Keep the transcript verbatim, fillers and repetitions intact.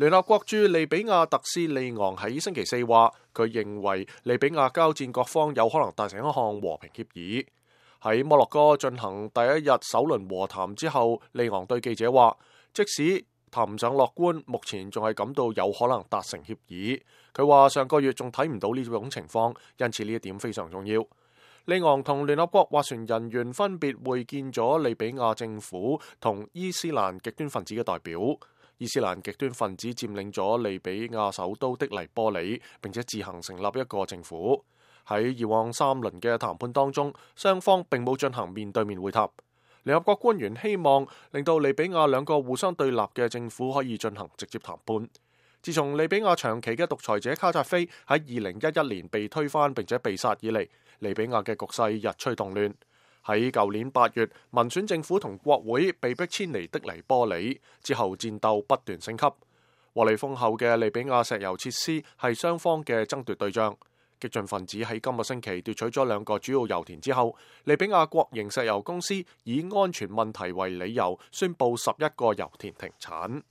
聯合國駐利比亞特使利昂喺星期四話，佢認為利比亞交戰各方有可能達成一項和平協議。喺摩洛哥進行第一日首輪和談之後，利昂對記者話，即使談唔上樂觀，目前仲係感到有可能達成協議。佢話上個月仲睇唔到呢種情況，因此呢一點非常重要。利昂同聯合國斡旋人員分別會見咗利比亞政府同伊斯蘭極端分子嘅代表。伊斯蘭極端分子佔領咗利比亞首都的黎波里，並且自行成立一個政府。喺以往三輪嘅談判當中，雙方並冇進行面對面會談。聯合國官員希望令到利比亞兩個互相對立嘅政府可以進行直接談判。自從利比亞長期嘅獨裁者卡扎菲喺二零一一年被推翻並且被殺以嚟，利比亞嘅局勢日趨動亂。喺舊年八月，民選政府同國會被迫遷離的黎波里，之後戰鬥不斷升級。獲利豐厚嘅利比亞石油設施係雙方嘅爭奪對象。激進分子喺今個星期奪取咗兩個主要油田之後，利比亞國營石油公司以安全問題為理由，宣布十一個油田停產。